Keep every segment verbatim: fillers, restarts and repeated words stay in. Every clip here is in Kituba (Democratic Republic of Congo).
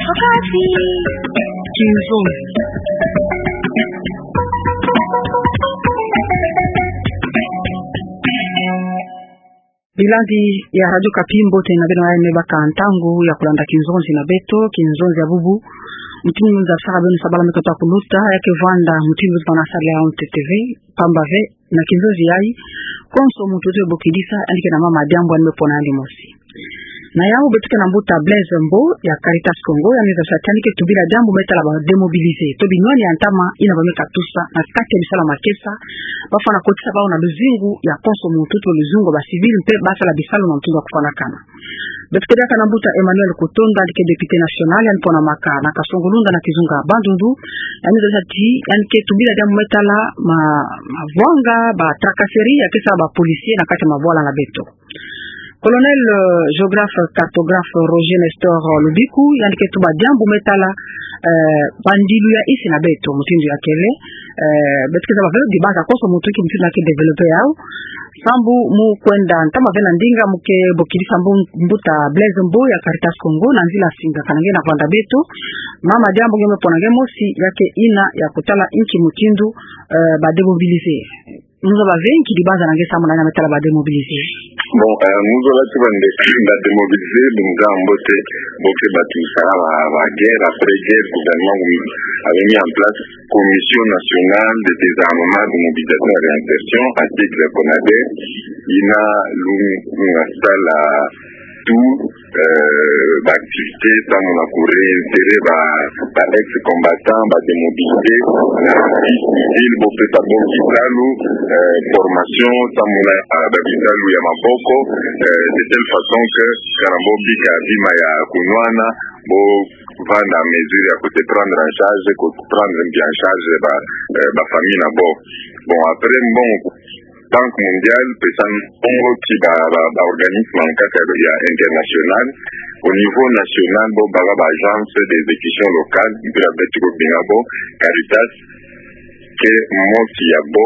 Wakati. Kinzonzi. Bilandi ya Radio Okapi, mbote na beno, aye me baka ntangu ya kulanda kinzonzi na beto, kinzonzi ya bubu. Mutindu nza sala beno sabala me kota kuluta, ya ke vanda mutindu bana sala ya Onte T V, pamba ve, na kinzonzi yayi, konso muntu tubokidisa, yandi ke na mama diambu yandi me pona yandi mosi. Na yawu beto ke na mbuta Blaise Mbo ya Caritas Congo, yandi me zaba ti yandi ke tubila diambu me tala ba démobilisés, to binwani ya ntama yina ba me katusa na kati ya bisalu ya makesa, bafwana kotisa bawu na luzingu ya konso muntu, to luzingu ya ba civils mpe basala bisalu na mutindu ya kufwanakana. Beto ke diaka na mbuta Emmanuel Kutonda, yandi ke député national, yandi ponamaka na Kasongo-Lunda na kizunga Bandundu, yandi me zaba ti yandi ke tubila diambu me tala ma, mavwanga, ba tracasseries ya ke sala ba policiers na kati ya mabwala na beto. Colonel, euh, géographe, cartographe Roger Nestor, euh, Lubiku, yandi ke tuba diambu me tala, euh, bandilu ya isi na beto, mutindu ya kele, euh, beto ke zaba ve, dibanza konso muntu ke mutindu ya ke développer yawu. Sambu mu kwenda ntama ve na ndinga, mu ke bokidisa mbu-, mbuta Blaise Mbo ya Caritas Congo na nzila singakana nge na vanda beto. Mama diambu nge me pona nge mosi, ya ke yina ya kutala inki mutindu, euh, ba démobilisés. Mu zola ve inki dibanza na nge samu na yina me tala ba démobilisés. Bon, euh, mu zola ti bande, ba démobilisés, bumza mbote, bo ke batu sala ba, ba guerre, après guerre, gouvernement, avait mis en place Commission nationale de désarmement, de mobilisation et réinsertion, à titre Conader, yina lu-, lunga sala tout, euh, ba activités, samu na ku réinsérer ba, ba ex-combattants, ba démobilisés, na vie civile, bo pesa bo bisalu, euh, formation, samu na, euh, ba bisalu ya maboko, euh, de telle façon que, kana bo bika bima ya kunwana, bo vanda mesure ya ku se prendre en charge, ku prendre bien en charge ba, euh, ba famille na bo. Bon, après, bon, Banque mondiale, pesa mbongo ti ba, ba, ba organisme en kaka ya international. Au niveau national, bo bala ba agence d'exécution locale, mpila beto ko benga bo Caritas, ke mosi ya bo,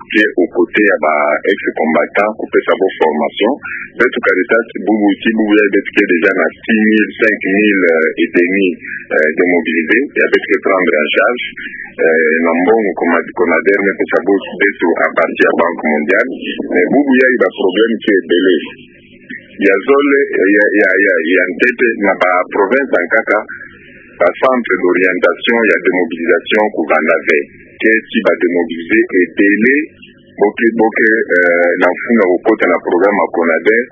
ke au côté ya ba ex-combattants, ku pesa bo formation. Beto Caritas, bubu ti bubu ya beto ke déjà na six mille, cinq mille, euh, et demi, euh, démobilisés, ya beto ke prendre en charge, euh, na mbongo Cona-, Conader me pesa bo beto à partir ya Banque mondiale. Mais bubu ya i ba problème ke ebele. Ya zole, ya, ya, ya, ya ntete, na ba province en kaka, ba centre d'orientation ya démobilisation ku vanda ve. Ke ti ba démobilisés ebele, bo ke, bo ke, euh, na mfunu ya kukota na programme ya Conader,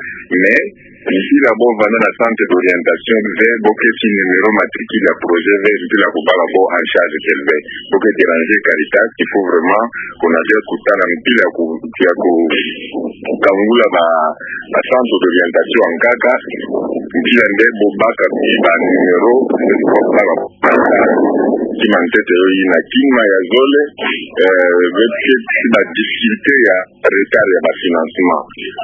mais, mpila bo vanda na centre d'orientation ve, bo ke ti numéro matricule ya projet ve, mpila kubala bo en charge tel ve. Bo ke déranger Caritas, il faut vraiment Conader kutala mpila ku, ya ku, kangula ba, ba centre d'orientation en kaka, mpila nde bo baka ba numéro, bo baka ba Kima ntete yo ina. Kima ya zole, euh, beto ke ti ba difficulté ya retard ya ba financement.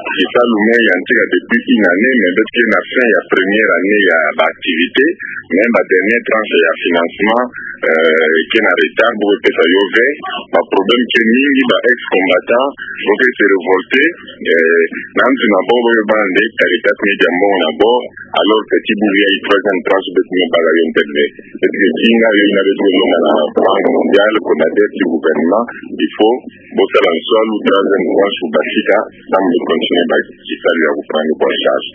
Ke salu me ya ntika depuis une année, mais beto ke na fin ya première année ya ba activité, mais ba dernière tranche ya financement, euh, ke na retard, bo pesa yo ve, ba problème ke mingi, ba ex-combattants, bo ke se révolter, euh, na ntu na bo, bo ke bande, Caritas me dia mbongo na bo, alors que ti bubu ya i troisième tranche beto me bala yo ntete. Beto ke tinga yo ina beto ke longa na Banque mondiale, Conader ti gouvernement, il faut bo sala nsalu troisième tranche basika, samu de continuer ba, ti salu ya ku prendre bo en charge.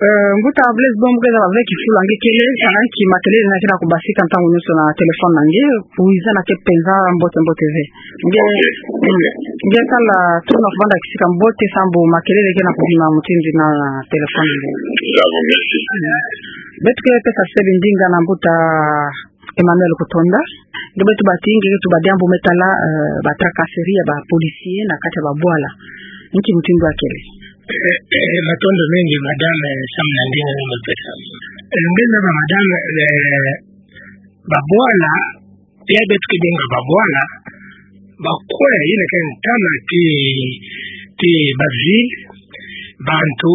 Euh, mbuta Blaise Mbo, ke zaba ve kifulu ya nge kele, salanki ki makelele na ke na kubasika ntangu nyonso na téléphone na nge, wiza na ke penza mbote mbote ve. Nge, ok, ok. Nge sala tout na kuvanda kisika mbote sambu makelele ke na kubima mutindu na téléphone nge. Bravo, merci. Beto ke pesa sebi ndinga na mbuta Emmanuel Kutonda. Nge beto bati, nge beto ba diambu me tala, euh, ba tracasserie ya ba policier na kati ya ba bwala. Nki mutindu akele. Eh, eh, matondo mengi, madame, eh, samu na ndinga nge me pesa. Eh, nge na ba madame, eh, ba bwala, ya beto ke benga ba bwala, ba kwe, ina ke ntama ti, ti ba ville, bantu,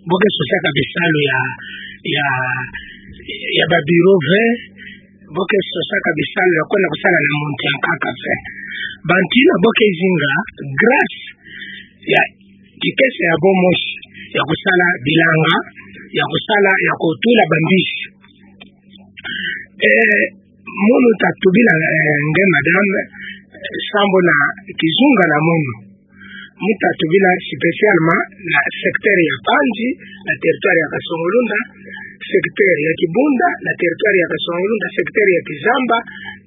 bo ke sosaka bisalu ya, ya, ya ba bureau ve, bo ke sosaka bisalu ya kwenda kusala na muntu ya nkaka ve. Bantu ina bo ke zinga grâce ya kikese ya bo mosi ya kusala bilanga, ya kusala, ya kutula ba mbisi. Eh, munu ta tubila, eh, nge madame, eh, sambo na kizunga na munu. Mu ta tubila spécialement na secteur ya Panzi, na territoire ya Kasongo-Lunda, secteur ya Kibunda, na territoire ya Kasongo-Lunda, secteur ya Kizamba,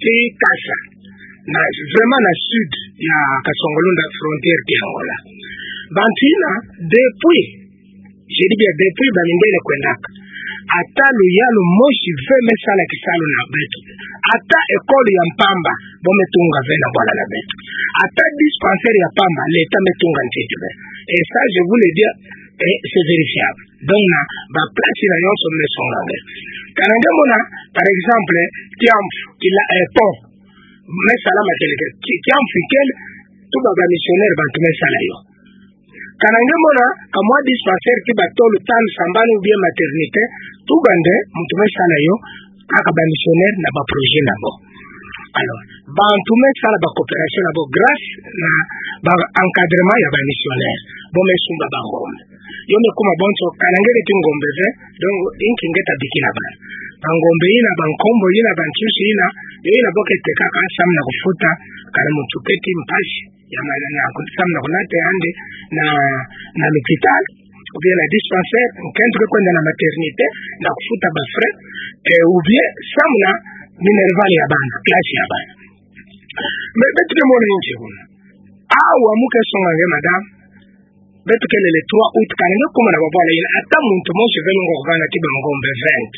ti Kasa. Na vraiment na sud ya Kasongo-Lunda, frontière ti Angola. Bantu yina, depuis, je dis bien, depuis ba mindele kwendaka, ata luyalu mosi ve me sala kisalu na beto. Ata école ya mpamba, bo me tunga ve na bwala na beto. Ata dispensaire ya pamba, l'État me tunga ntete ve. Et ça, je vous le dis, et c'est vérifiable. Donc, na ba place yina yonso me songa nge. Kana nge mona, par exemple, Tiamfu, kila, eh, pont. Me sala ma kele ke, Ti-, Tiamfu ikele, tuba ba missionnaire bantu me sala yo. Kana nge mona, ka mwa dispensaire ti ba tolo, tanu, sambanu, ou bien maternité, tuba nde, muntu me sala yo, kaka ba missionnaire na ba projet na bo. Alors, bantu me sala ba coopération na bo grâce na ba encadrement ya ba missionnaire. Bo me sumba ba ngombe. Yo me kuma bonso, kana nge keti ngombe ve, donc, inki nge ta bikila bana. Ba ngombe yina, ba nkombo yina, ba nsusu yina, yo yina bo ke tekaka samu na kufuta, kana muntu keti mpasi ya mana na ku-, samu na kunata yandi na, na l'hôpital, ou bien na dispensaire, nkento ke kwenda na maternité, na kufuta ba frais, eh, ou bien samu na minerval ya bana, classe ya bana. Mais beto ke mona nki kuna? Awa mu ke songa nge, madame, beto kele le trois août, kana nge kuma na ba bwala yina, ata muntu mosi ve lunga kuvanda ti ba ngombe vingt.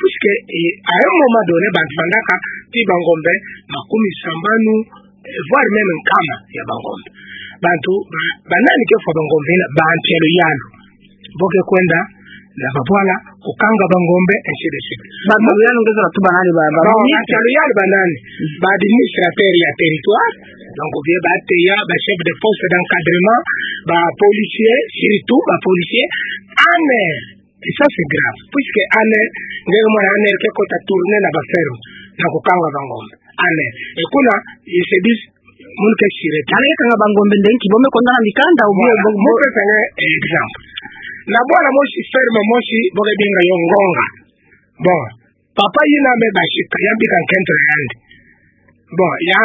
Puisque, eh, à un moment donné, bantu vandaka ti ba ngombe makumi sambanu, eh, voire même nkama ya ba ngombe. Bantu, ba, ba nani ke fwa ba ngombe yina? Bantu ya luyalu. Bo ke kwenda na ba bwala, kukanga ba ngombe, ainsi de suite. Bantu ya luyalu nge zola tuba nani? Ba, ba, non, ministre. Bantu ya luyalu ba nani? Ba administrateur ya territoire, donc, ou bien ba A T A, ba chef de poste d'encadrement, ba policier, surtout ba policier, armée. Et ça, c'est grave. Puisque armée, nge mona armée ke kota tourner na ba ferme, na kukanga ba ngombe. Armée. Et kuna, ils se disent, munu ke sirete. Kana nge kanga ba ngombe nde nki, bo me konda na mikanda, ou bien, voilà, bo, bo mu pesa nge exemple. Na bwala mosi, ferme mosi, bo ke benga yo Ngonga. Bon, papa yina me basika, ya bika nkento na yandi. Bon, ya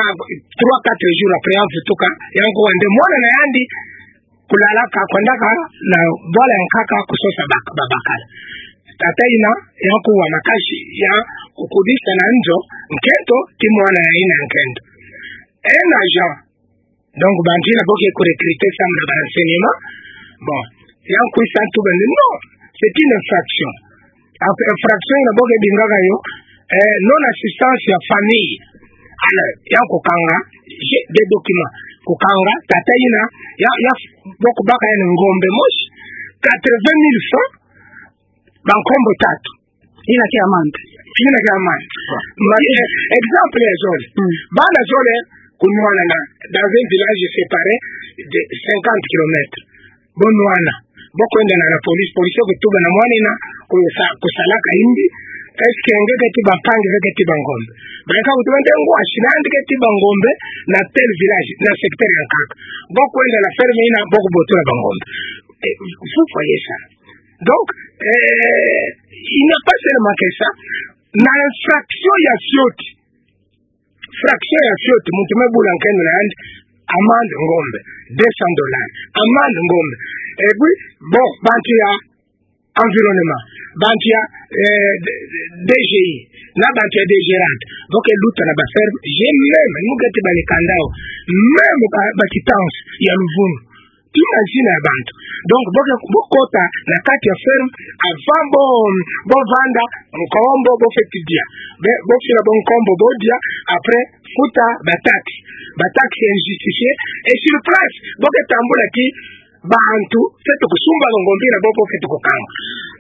trois, quatre jours après, ya vutuka, ya nkuwa nde mwana na yandi, kulalaka, kwendaka na bwala ya nkaka kusosa bak-, babakala. Tata yina, ya nkuwa makasi, ya kukudisa na nzo nkento ti mwana yina ya nkento. Un agent. Donc, bantu yina bo ke ku recruter samu na ba renseignements. Bon, ya nkwisa ntu bende, non, c'est une infraction. Après, infraction yina bo ke bingaka yo, eh, non-assistance ya famille. Alors, ya kukanga, j'ai des documents. Kukanga, tata yina, ya, ya, bo kubaka yandi ngombe mosi, quatre-vingt mille francs, ba nkombo tatu. Yina ke amande. Yina ke amande. Bon. Ma, eh, exemple ya zole. Mm. Bana zole, kunwana na, dans un village séparé de cinquante kilomètres. Bo nwana. Bo kwenda na, na police, police kutuba na mwana yina, kusa-, kusalaka yimbi. Est-ce que nge keti ba mpangi, nge keti ba ngombe? Ba yika kutuba nde ngwashi na yandi keti ba ngombe na tel village, na secteur ya nkaka. Bo kwenda na ferme yina, bo kubotola ba ngombe. Eh, vous voyez ça. Donc, eh, il n'y a pas seulement que ça. Na infraction ya fioti. Infraction ya fioti, muntu me bula nkento na yandi, amande ngombe, deux cents dollars. Amande ngombe. Et puis, bon, bantu ya environnement, bantu ya, eh, D-, D-, D G I, na bantu ya D G Rad, bo ke luta na ba ferme, j'ai même, mu keti ba mikanda yo, même ba, ba quittance ya luvunu. Ti mazina ya bantu. Donc, bo ke, bo kota na kati ya ferme, avant bo, bo vanda nkombo, bo fweti dia. Be, bo fila bo nkombo, bo dia, après, futa ba taxes. Ba taxes injustifiées. Et sur place, bo ke tambula ti bantu fweti kusumba ngombe yina bo, bo fweti kukanga.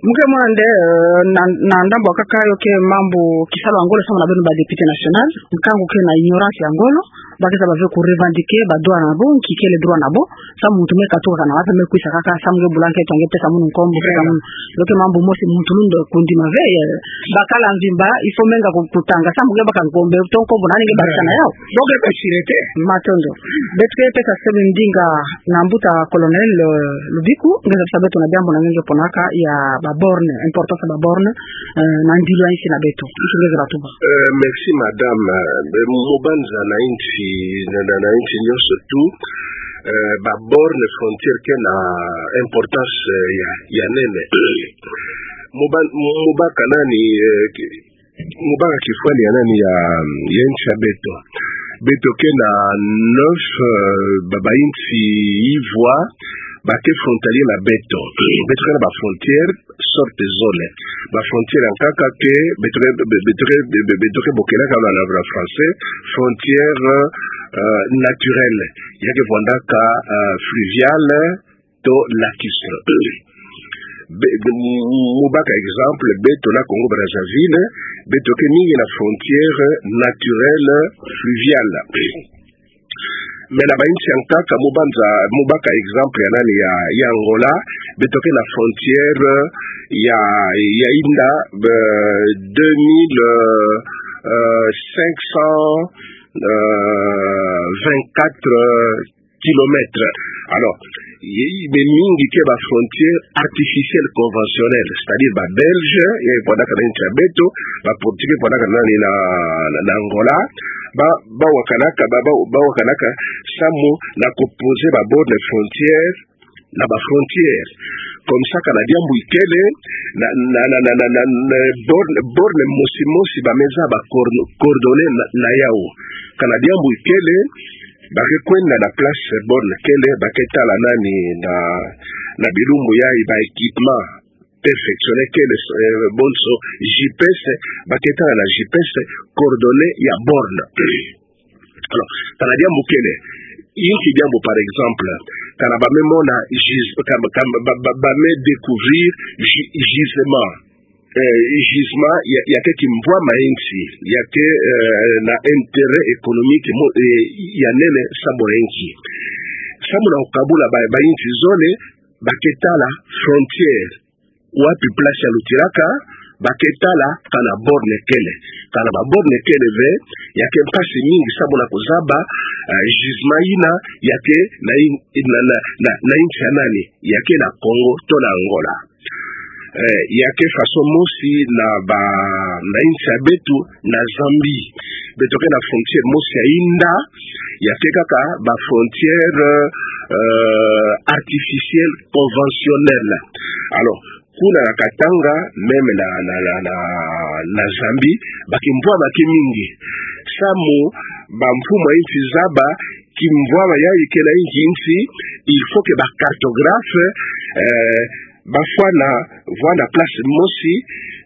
Mu ke mona nde, eh, na, na ndambu kaka yo ke mambu kisalu ya ngolo samu na beno ba député national, nkangu ke na ignorance ya ngolo. Ba ke zaba ve ku revendiquer ba droit na bo, nki kele droit na bo. Samu muntu me katuka kana wapi, me kwisa kaka, samu nge bula nge, to nge pesa munu nkombo, pesa munu. Loke mambu mosi muntu lunda kundima ve, eh, bakala mvimba, il faut menga ku-, kutanga, samu nge baka nkombo, to nkombo, nani nge bakisa na yau. Bo ke pe sirete. Matondo. Beto ke pesa sebe ndinga na mbuta Colonel, eh, Lubiku, nge zaba beto na diambu na nge nge ponaka ya ba borne, importance ya ba borne, eh, na ndilo ya insi na beto. Insi nge zaba tuba. Eh, merci madame. Eh, mo banza na insi, na, na, na insi nyonso tout, eh, ba borne frontière ke na importance, eh, ya, ya nene. Mo ba, mo baka nani, eh, ki-, mo baka kifwani ya nani ya, ya insi ya beto. Beto ke na neuf, eh, ba, ba insi ivwa, ba ke frontalier na beto. Beto ke na ba frontière, sorte zole. Ba frontière ya nkaka ke, beto ke, be-, be-, beto ke, be-, be-, beto ke bokelaka na, na, na français, frontière, euh, naturelle. Ya ke vwandaka, euh, fluviale, to lacustre. Be-, be-, mo baka exemple, beto na Congo Brazzaville, beto ke mingi na frontière naturelle fluviale. Mais na ba insi ya nkaka, mo banza, mo baka exemple ya nani ya, ya Angola, beto ke na frontière ya, ya inda, euh, deux mille, euh, euh, cinq cent, euh, vingt-quatre kilomètres. Alors, ye, be mingi ke ba frontière artificielle conventionnelle, c'est-à-dire ba Belge, ya vwandaka na insi ya beto, ba Portugais vwandaka na, na, na, na Angola, ba, ba wakanaka, ba, ba, ba wakanaka, samu na ku poser ba borne frontière, na ba frontière. Comme ça, kana diambu ikele, na, na, na, borne, borne mosi mosi ba me zaba coord-, coordonner na, na yau. Kana diambu ikele, ba ke kwenda na place borne kele, ba ke tala nani na, na bilumbu yayi ba équipement perfectionné kele, eh, bonso G P S, ba ke tala na G P S coordonnées ya borne. Alors, kana diambu kele, inki diambu, par exemple, kana ba me mona gis-, kana, kana ba, ba, ba me découvrir gi-, gisement. Eh, gisement ya, ya ke kimvwama ya insi, ya ke, eh, na intérêt économique mo-, eh, ya nene samu na inki. Samu na kukabula ba, ba insi zole, ba ke tala frontière. Wapi place ya lutilaka, ba ke tala kana borne kele. Kana ba borne kele ve, ya ke mpasi mingi samu na kuzaba, eh, gisement yina, ya ke na in-, na, na, na, na insi ya nani, ya ke na Congo, to na Angola. Eh, ya ke façon mosi na ba, na insi ya beto, na Zambie. Beto ke na frontière mosi ya inda, ya ke kaka ba frontière, euh, artificielle conventionnelle. Alors, kuna na Katanga, même na, na, na, na, na Zambie, ba kimvwama ke mingi. Samu, ba mfumu ya insi zaba, kimvwama yayi ke na inki insi, il faut que ba cartographe, euh, ba fwana, vwanda place mosi,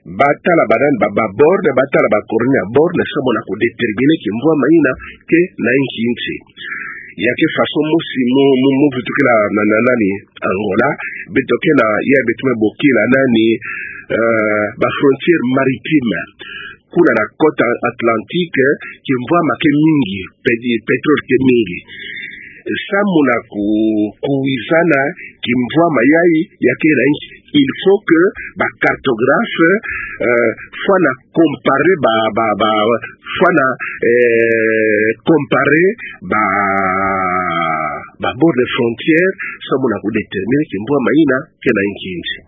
ba tala ba nani, ba, ba borne, ba tala ba coordonnées ya borne, samu na kudéterminer kimvwama yina ke na inki insi. Ya ke façon mosi mo, mo, mo vutukila na, na nani, Angola, beto ke na, ya beto me bokila nani, euh, ba frontière maritime. Kuna na côte atlantique, kimvwama ke mingi, pe-, pétrole ke mingi. Samu na ku-, kuwizana kimvwama yayi, ya ke na inki, il faut que ba cartographe, euh, fwana comparer ba, ba, ba, fwana, euh, comparer ba, ba borne frontière, samu na kudéterminer kimvwama yina ke na inki insi.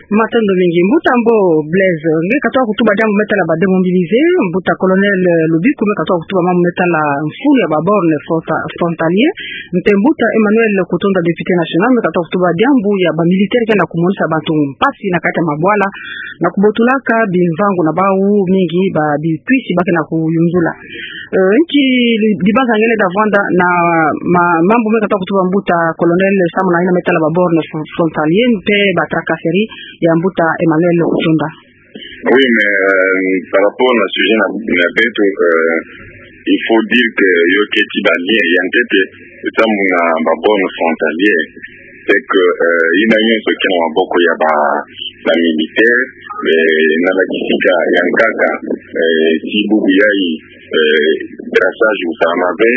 Matondo mingi. Mbuta Mbo Blaise, nge katoa kutuba diambu me tala ba démobilisés, mbuta Colonel, euh, Lubiku me katoa kutuba mambu me tala mfunu ya ba borne fronta-, frontalier, mpe mbuta Emmanuel Kutonda, député national, me katoa kutuba diambu ya ba militaire ke na kumonisa bantu mpasi na kati ya mabwala, na kubotulaka bimvangu na bawu mingi ba bikwisi ba ke na kuyunzula. Euh, nki li-, libanza nge lenda vwanda na ma-, mambu me katoa kutuba mbuta Colonel samu na yina me tala ba borne fr-, frontalier mpe ba tracasserie ya mbuta Emmanuel Kutonda. Oui, mais, euh, par rapport na sujet na, na beto, euh, il faut dire que yo keti ba lien ya ntete samu na ba borne frontalier. C'est que, euh, yina nyonso ke na maboko ya ba, ba militaire, mais na ba kisika ya nkaka, euh, ti bubu yayi, euh, brassage kusalama ve,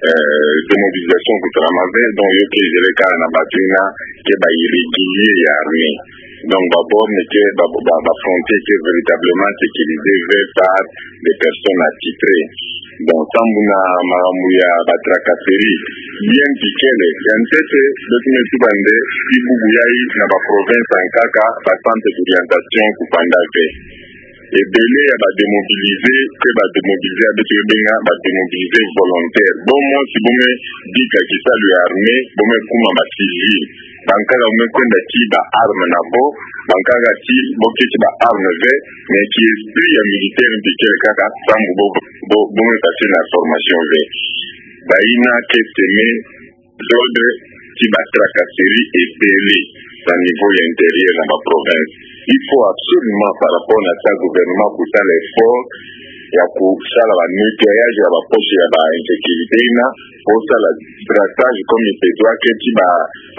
euh, démobilisation kusalama ve, donc yo ke zele kaka na bato yina ke ba irréguliers ya armée. Donc ba bornes ke ba, ba, ba frontières ke véritablement sécurisées ve par des personnes attitrées. Donc sambu na makambu ya ba tracasseries, bien tikele, ya ntete, beto me tuba nde, ti bubu yayi na ba provinces yankaka, ba centres d'orientation kufanda ve. Ebele ya ba démobilisés, ke ba démobilisés ya beto benga ba démobilisés volontaires. Bo mosi bo me bika kisalu ya armée, bo me kuma ba civils. Bankaka bo me kwenda ti ba armes na bo, bankaka ti bo keti ba armes ve, mais ki esprit ya militaire mpi kele kaka sambu bo, bo, bo me passer na formation ve. Bayina ke semer désordre, ti ba tracasseries ebele na niveau ya intérieur na ba provinces. Il faut absolument, par rapport na ça, gouvernement kusala effort ya kusala ba nettoyage ya ba poches ya ba insécurité yina, po sala brassage comme il se doit, ke ti ba,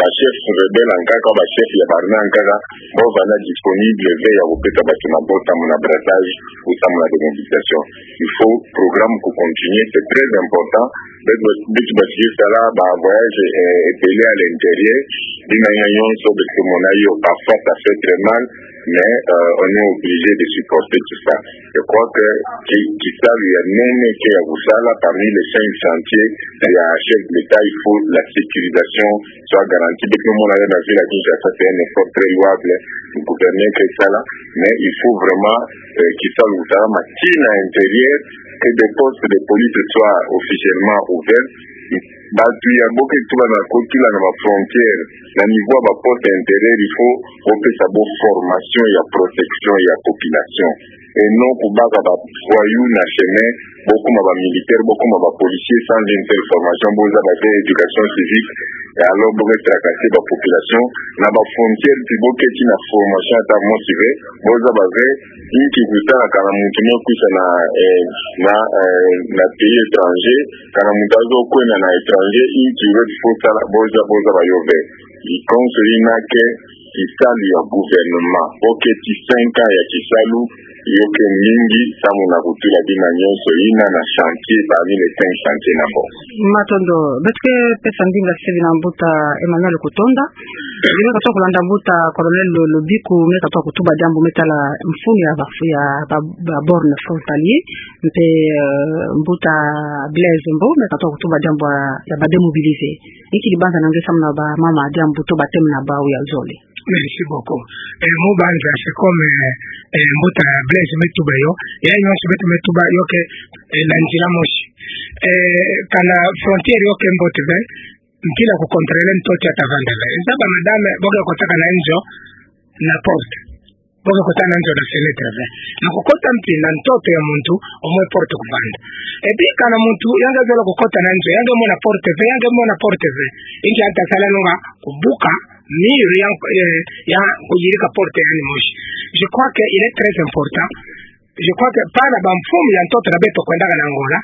ba chefs rebelles yankaka, ba chefs ya ba armées yankaka, bo vanda disponibles ve ya kupesa bato na bo samu na brassage ou samu na démobilisation. Il faut programme kucontinuer, c'est très important. Beto, beto basiki sala ba voyages, euh, ebele à l'intérieur. Bima yina nyonso beto ke mona yo, parfois ça fait très mal, mais, euh, on est obligé de supporter tout ça. Je crois que ki, kisalu ya nene ke ya kusala parmi les cinq chantiers ya chef de l'État, il faut la sécurisation soit garantie. Beto me mona yo na ville ya Kinshasa, c'est un effort très louable du gouverneur ke sala, mais il faut vraiment, euh, kisalu kusalama ti na intérieur, que des postes de police soient officiellement ouverts. Bato ya bo ke tuba na kotula na ba frontières, na niveau ya ba postes intérieurs, il faut bo pesa bo formation ya protection ya population. Et non kubaka ba voyous na chemin, bo kuma ba militaires, bo kuma ba policiers sans une telle formation, bo zaba ve éducation civique, et alors bo ke tracasser ba population. Na ba frontières, ti bo keti na formation ata mosi ve, bo zaba ve inki kusala kana muntu me kwisa na, eh, na, eh, na pays étranger, kana muntu azo kwenda na étranger, inki ve fo sala, bo za, bo zaba yo ve. Likonso yina ke kisalu ya gouvernement. Bo keti cinq ans ya kisalu, yo ke mingi, samu na kutula bima nyonso yina na chantier parmi les cinq chantiers na bo. Matondo, beto ke pesa ndinga sebi na mbuta Emmanuel Kutonda. Ye me katuka kulanda mbuta Colonel Lo-, Lobiku, me katuka kutuba diambu me tala mfunu ya ba, ya ba, ba bornes frontaliers, mpe, euh, mbuta Blaise Mbo, me katuka kutuba diambu ya, ya ba démobilisés. Inki dibanza na nge samu na ba mama diambu to ba thèmes na bau ya zole. Merci beaucoup. Eh, mu banza, c'est comme, eh, eh, mbuta Blaise me tuba yo, ya nyonso beto me tuba yo ke, eh, na nzila mosi. Eh, kana frontière yo ke mbote ve, mpila kucontrôler ntoto ya ta vanda ve. Zaba madame, bo ke kotaka na nzo na porte. Bo ke kota na nzo na fenêtre ve. Na kukota mpi na ntoto ya muntu, au moins porte kuvanda. Et puis kana muntu, ya nge zola kukota na nzo, ya nge mona porte ve, ya nge mona porte ve. Inki ya ta sala, nunga kubuka mur ya, eh, ya kuyirika porte yandi mosi. Je crois que il est très important. Je crois que bana ba mfumu ya ntoto na beto kwendaka na Angola,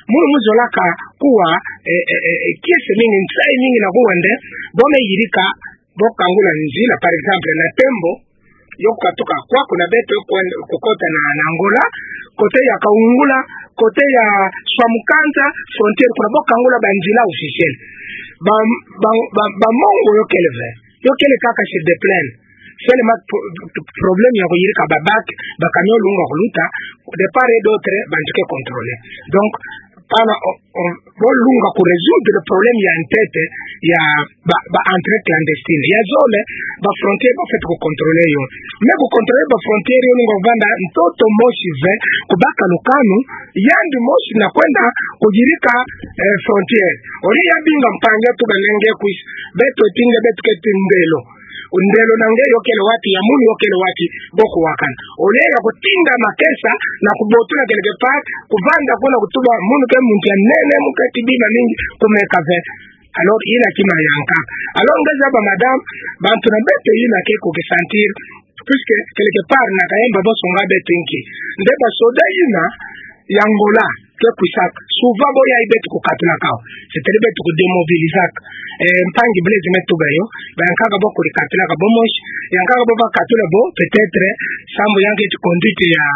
munu mu zolaka kuwa, eh, eh, eh, eh, kiese mingi, nsayi mingi na kuwa nde, bo me yirika, bo kangula nzila, par exemple, na Tembo, yo kukatuka kwaku na beto kwen-, kukota na, na Angola, côté ya Kaungula, côté ya Swamukanza, frontière kuna, bo kangula ba nzila officielle. Ba, ba, ba, ba Mongo yo kele ve. Yo kele kaka sur des plaines. Seulement pro-, problème ya kuyirika ba bac, ba camion lunga kuluta, de part et d'autre, bantu ke contrôler. Donc, bana, o, o, bo lunga ku résoudre le problème ya ntete, ya ba, ba entrée clandestine. Ya zole, ba frontière, bo fweti kucontrôler yo. Mais kucontrôler ba frontière yo, lunga vanda ntoto mosi ve, kubaka lukanu, yandi mosi na kwenda kuyirika, eh, frontière. Au lieu ya binga mpangi, tuba nge kwisa, beto ti nge, beto keti ndelo. Ndelo na nge yo kele wapi, ya munu yo kele wapi, bo kuwakana. Au lieu ya kutinda makesa na kubotula quelque part, kuvanda kuna kutuba munu ke muntu ya nene, mu keti bima mingi, kumeka ve. Alors, yina kima yankaka. Alors, nge zaba madame, bantu na beto yina ke kuki sentir, puisque quelque part na kayemba bo songa beto inki. Nde ba soda yina ya Angola ke kwisaka. Souvent bo yayi beto kukatulaka wo. C'est-à-dire beto kudémobilisaka. Eh, mpangi Blaise me tuba yo, bayankaka bo kurikatulaka bo mosi, yankaka bo bakatula bo, peut-être, sambu yankaka ti conduite ya,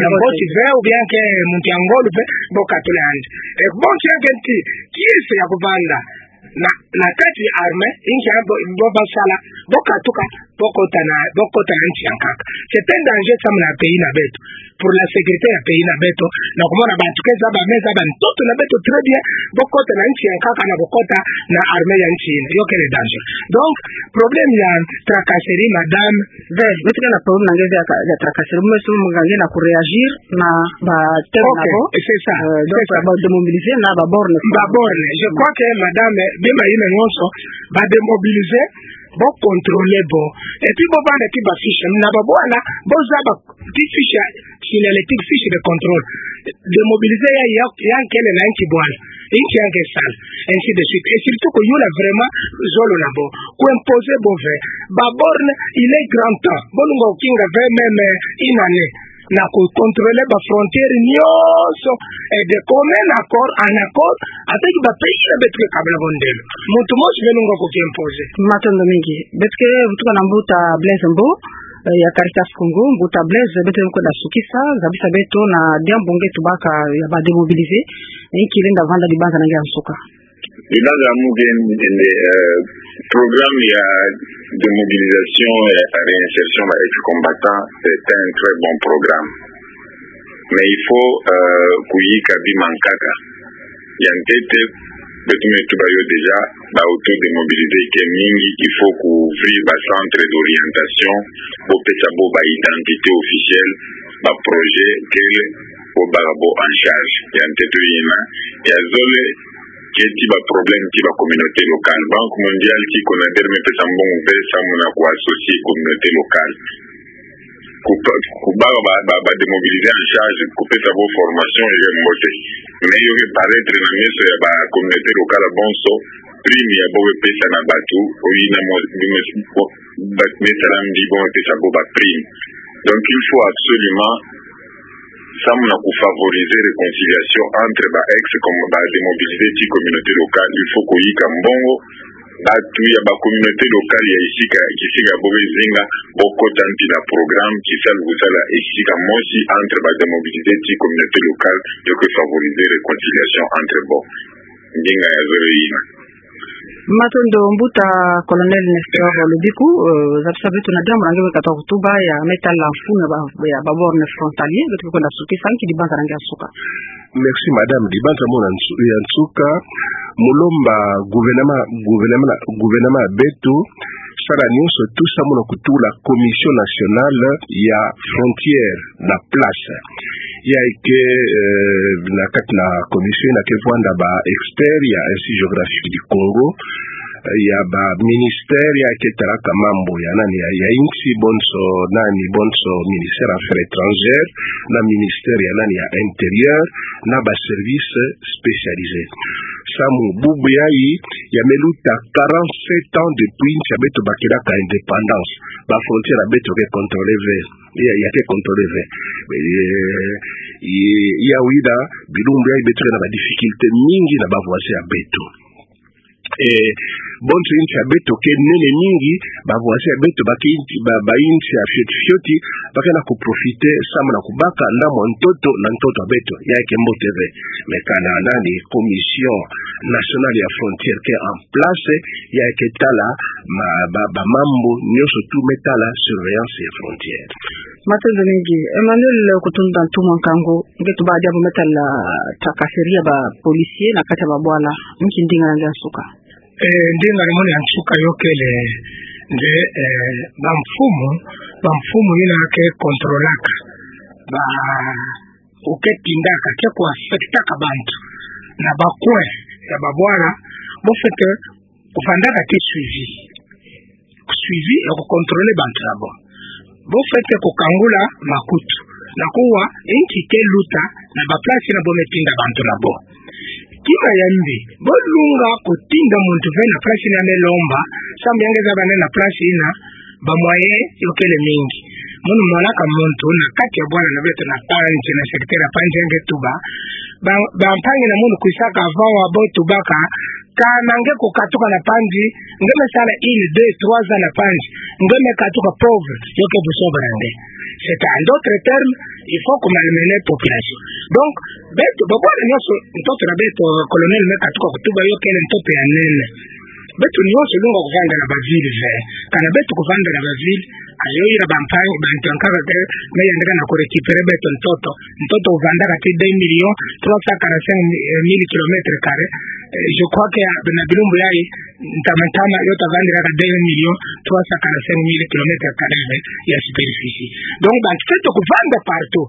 ya mbote ve, ou bien yankaka muntu ya ngolo ve, bo katula yandi. Eh, bon, yankaka ti, kiese ya kuvanda na, na kati armée, inki ya bo, bo basala, bo katuka, bo kota na, bo kota na nsi yankaka. C'est un danger samu na pays na beto. Pour la sécurité ya pays na beto, na kumona bantu ke zaba, me zaba ntoto na beto très bien, bo kota na nsi yankaka na bo kota na armée ya nsi yina. Yo kele danger. Donc, problème ya tracasserie, madame, ve, beto ke na problème na nge ve ya ka-, ya tracasserie, mais souvent nge na kuréagir na ba thème na bo. Ok, c'est ça, euh, donc, c'est ça. Ba démobiliser na ba borne. Ba borne. Je crois que madame, bima yina nyonso, ba démobiliser, bo contrôler bo. Et puis bo vanda ti ba fiche, na babwana, bo zaba ti fiche signalétique, fiche de contrôle. Démobiliser ya, ya, ya nkele na nki bwana. Nki ya nge sala. Ainsi de suite. Et surtout kuyula vraiment zolo na bo. Ku imposer bo ve. Ba borne, il est grand temps. Bo lungwa kukinga ve même, euh, une année. Na ku contrôler ba frontière nyonso. Et de commun accord, en accord, avec ba pays na beto ke kabla bo ndelo. Muntu mosi me lungwa kuki imposer. Matondo mingi. Beto ke vutuka na mbuta Blaise Mbo, eh, ya Caritas Congo, mbuta Blaise, beto ke kwenda sukisa, zabisa beto na diambu nge tubaka ya ba démobiliser, eh, nki lenda vanda dibanza na nge ya nsuka. Dibanza ya mu nge nde, eh, programme ya démobilisation, eh, ya réinsertion ba ex-combattants, c'est un très bon programme. Mais il faut, euh, kuyika bima nkaka. Ya ntete, beto me tuba yo déjà, ba auto-démobilisés ke mingi, il faut ku ouvrir ba centres d'orientation, bo pesa bo ba identités officielles, ba projets kele, bo baka bo en charge. Ya ntete yina, ya zole, ke ti ba problème ti ba communauté locale. Banque mondiale ti CONADER me pesa mbongo ve samu na ku associer communauté locale. Ku pa-, ku baka ba, ba, ba démobilisés en charge, ku pesa bo formation, yo ke mbote. Mais yo ke paraître na meso ya ba communauté locale bonso, prime ya bo ke pesa na bantu, oyina mo, mo, mo, ba, me sala mbi bo ke pesa bo ba prime. Donc il faut absolument samu na ku favoriser réconciliation entre ba ex, comme ba démobilisés ti communauté locale, il faut kuyika mbongo, bantu ya ba communauté locale ya esika, kisika bo ke zinga, bo kota mpi na programme, kisalu kusala esika mosi entre ba démobilisés ti communauté locale, yo ke favoriser réconciliation entre bo. Ndinga ya zole yina. Matondo mbuta Colonel Nestor Lobiku, euh, zabisa beto na diambu na nge me katuka kutuba ya me tala mfunu ya ba, ya ba borne frontalier, beto ke kwenda sukisa, nki dibanza na nge ya nsuka. Merci madame, dibanza mo na nsu-, ya nsuka, mu lomba gouvernement, gouvernement, gouvernement ya beto, sala nyonso tout samu na kutula Commission nationale ya frontière na place. Ya ke, euh, na kati na commission yina ke vwanda ba experts ya Institut géographique du Congo, euh, ya ba ministères ya ke talaka mambu ya nani ya, ya insi bonso, nani bonso, ministère affaires étrangères, na ministère ya nani ya intérieur, na ba services spécialisés. Samu bubu yayi, ya me luta quarante-sept ans depuis nsi ya beto bakilaka indépendance. Ba frontières ya beto ke contrôlé ve. Ya, ya ke contrôlé ve. Eh, ya, ya wida, bilumbu yayi beto ke na ba difficultés mingi na ba voisins ya beto. Eh, bonso insi ya beto ke nene mingi, ba voisins ya beto ba ke insi, ba, ba insi ya fioti fioti, ba ke na ku profiter, samu na kubaka ndambu ntoto na ntoto ya beto, ya ke mbote ve. Mais kana nani, Commission nationale ya frontière ke en place, ya ke tala ma, ba, ba mambu nyonso tout me tala surveillance ya frontière. Matondo mingi. Emmanuel Kutundu Ntumwa Nkangu, nge tuba diambu me tala tracasserie ya ba policiers na kati ya ba bwala. Nki ndinga na nge ya nsuka. Eh, ndinga na mono ya nsuka yo kele nde, eh, ba mfumu, ba mfumu yina ke contrôlaka, ba, ou ke tindaka, ke ku affectaka bantu na ba coin ya ba bwala, bo fwete kufandaka ti suivi. Suivi ya ku contrôler bantu na bo. Bo fwete kukangula makutu na kuwa nki ke luta na ba place yina bo me tinda bantu na bo. Kima ya mbi, bo lunga kutinda muntu ve na place yina me lomba, samu ya nge zaba nde na place yina ba moyens yo kele mingi. Mono monaka muntu na kati ya bwana na beto na Panzi, na secteur ya Panzi, nge tuba. Ba, bampangi na mono kwisaka avant wa bo tubaka, kana nge kukatuka na Panzi, nge me sala une, deux, trois ans na Panzi, nge me katuka pauvre, yo ke busoba na nge. C'est en d'autres termes, il faut ku malmener population. Donc, beto, ba bwana nyonso, ntoto na beto, colonel me katuka kutuba yo kele ntoto ya nene. Beto nyonso lungwa kuvanda na ba ville ve. Kana beto kuvanda na ba ville, ayo ira bampangi, bantu ya nkaka ke, me yandaka na ku récupérer beto ntoto. Ntoto kuvandaka ti deux millions trois cent quarante-cinq mille kilomètres carrés. Euh, je crois que, euh, na bilumbu yayi, ntama ntama, yo tavandiraka deux millions trois cent quarante-cinq mille kilomètres carrés ya superficie. Donc, bantu feto kuvanda partout.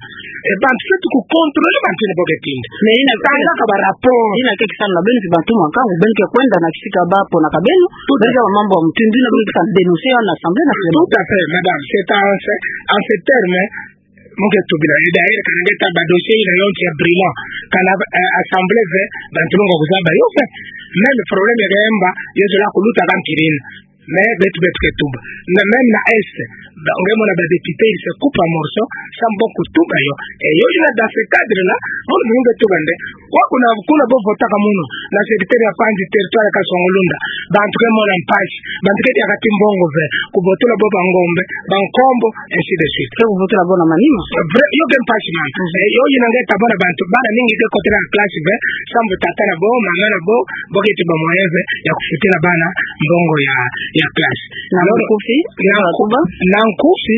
E bantu feto ku contrôler bantu yina bo ke tinda. Mais yina, tangaka ba rapport. Yina ke kisala na beno, si bantu mwa nkangu, beno ke kwenda na kisika ba ponaka beno. Tout à fait. Beno ke mambu ya mutindu yina, beno ke sa dénoncer yo na Assemblée nationale. Tout à fait, madame. C'est en ce, en ce terme, mu ke tubila, et d'ailleurs, kana nge ta ba dossier yina yonso ya Bruant, kana, euh, Assemblée ve, bantu lungwa kuzaba yo ve. Même problème ya Kayemba, yo zola kuluta ka mpirina. Mais beto, beto ke tuba. Na même na Est, ba, nge mona ba députés, ils se coupent en morceaux, sambu kutuba yo. Et yo yina dans ce cadre-là, mono nge tuba nde, wa kuna, kuna bo votaka mono, na secteur ya Panzi, territoire ya Kasongo-Lunda, bantu ke mona mpasi, bantu ke diaka ti mbongo ve, kubotula bo ba ngombe, ba nkombo, ainsi de suite. Ke kuvutula bo na manima. Vrai, yo ke mpasi mama. Mhm. Eh, yo yina nge ta mona bantu, bana mingi ke kotela classe ve, sambu tata na bo, mama na bo, bo ke ti ba moyen ve ya kufutila bana mbongo ya, ya classe. Na nkufi, na nku-, na nkufi,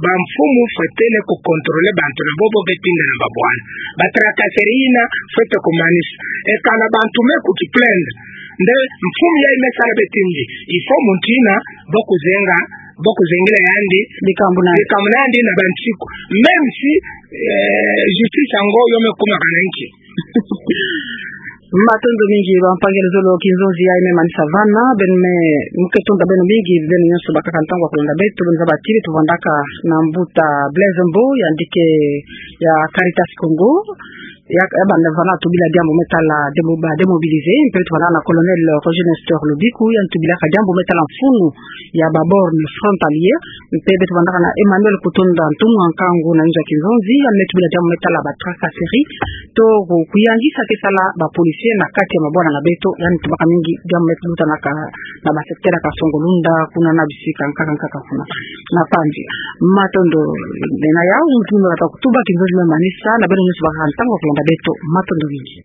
bamfumu fwete ne ku contrôler bantu na bo bo ke tinda na ba bwana. Ba tracasserie yina fwete ku manisa. E kana bantu me ku ki plaindre, nde mfumu yayi me sala beto mbi, il faut muntu yina bo kuzenga, bo kuzengela yandi bikambu na, bikambu na yandi na bansiku. Même si, euh, justice yango yo me kuma kana nki. Matondo mingi, bampangi, luzolo Kinzonzi yayi me manisa vana, beno me, mu ke tonda beno mingi, beno nyonso bakaka ntangu ya kulanda beto, beno zaba ti beto vandaka na mbuta Blaise Mbo, yandi ke ya Caritas Congo, ya, ya banda vana tubila diambu me tala demo-, ba démobilisés, mpe tubila na colonel Roger Nestor Lobiku, yandi tubilaka diambu me tala mfunu ya ba bornes frontalières, mpe beto vandaka na Emmanuel Kutonda, ntumwa nkangu na inzo ya Kinzonzi, yandi me tubila diambu me tala ba tracasserie, to ku-, kuyangisa ke sala ba policiers na kati ya mabwana na beto, yandi tubaka mingi diambu me lutanaka na, na ba secteur ya Kasongo-Lunda, kuna na bisika nkaka nkaka kuna. Na Panzi. Matondo, nde na yawu, muntu me kata kutuba, Kinzonzi me manisa, na beno nyonso bakaka ntangu ya kulanda beto, matondo mingi.